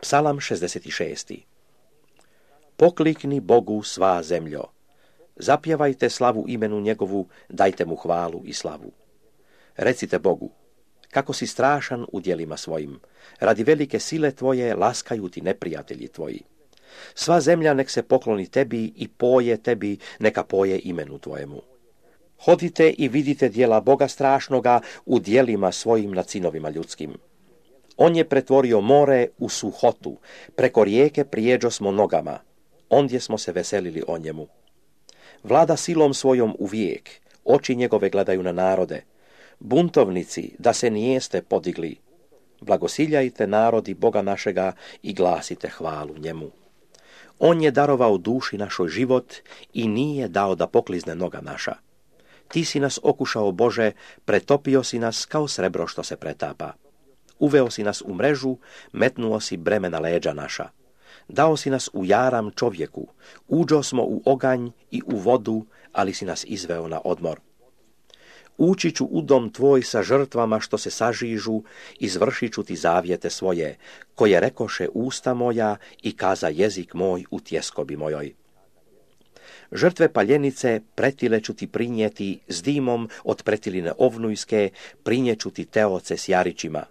Psalam 66. Poklikni Bogu svá zemljo. Zapjevajte slavu imenu njegovu, dajte mu hvalu i slavu. Recite Bogu, kako si strašan u djelima svojim. Radi velike sile tvoje laskaju ti neprijatelji tvoji. Sva zemlja nek se pokloni tebi i poje tebi, neka poje imenu tvojemu. Hodite i vidite djela Boga strašnoga u djelima svojim nad sinovima ljudskim. On je pretvorio more u suhotu, preko rijeke prijeđo smo nogama, ondje smo se veselili o njemu. Vlada silom svojom uvijek, oči njegove gledaju na narode. Buntovnici, da se nijeste podigli. Blagosiljajte narodi Boga našega i glasite hvalu njemu. On je darovao duši našoj život i nije dao da poklizne noga naša. Ti si nas okušao, Bože, pretopio si nas kao srebro što se pretapa. Uveo si nas u mrežu, metnuo si breme na leđa naša. Dao si nas u jaram čovjeku, uđo smo u oganj i u vodu, ali si nas izveo na odmor. Ući ću u dom tvoj sa žrtvama što se sažižu, izvršit ću ti zavjete svoje, koje rekoše usta moja i kaza jezik moj u tjeskobi mojoj. Žrtve paljenice pretile ću ti prinijeti s dimom od pretiline ovnujske, prinijeću ti teoce s jarićima.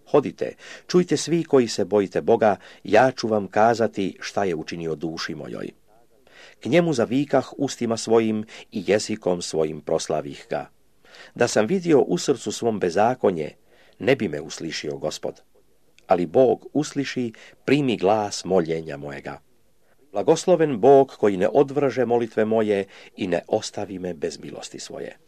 Hodite, čujte svi koji se bojite Boga, ja ću vam kazati šta je učinio duši mojoj. K njemu zavikah ustima svojim i jezikom svojim proslavih ga. Da sam vidio u srcu svom bezakonje, ne bi me uslišio Gospod. Ali Bog usliši, primi glas moljenja mojega. Blagosloven Bog koji ne odvrže molitve moje i ne ostavi me bez milosti svoje.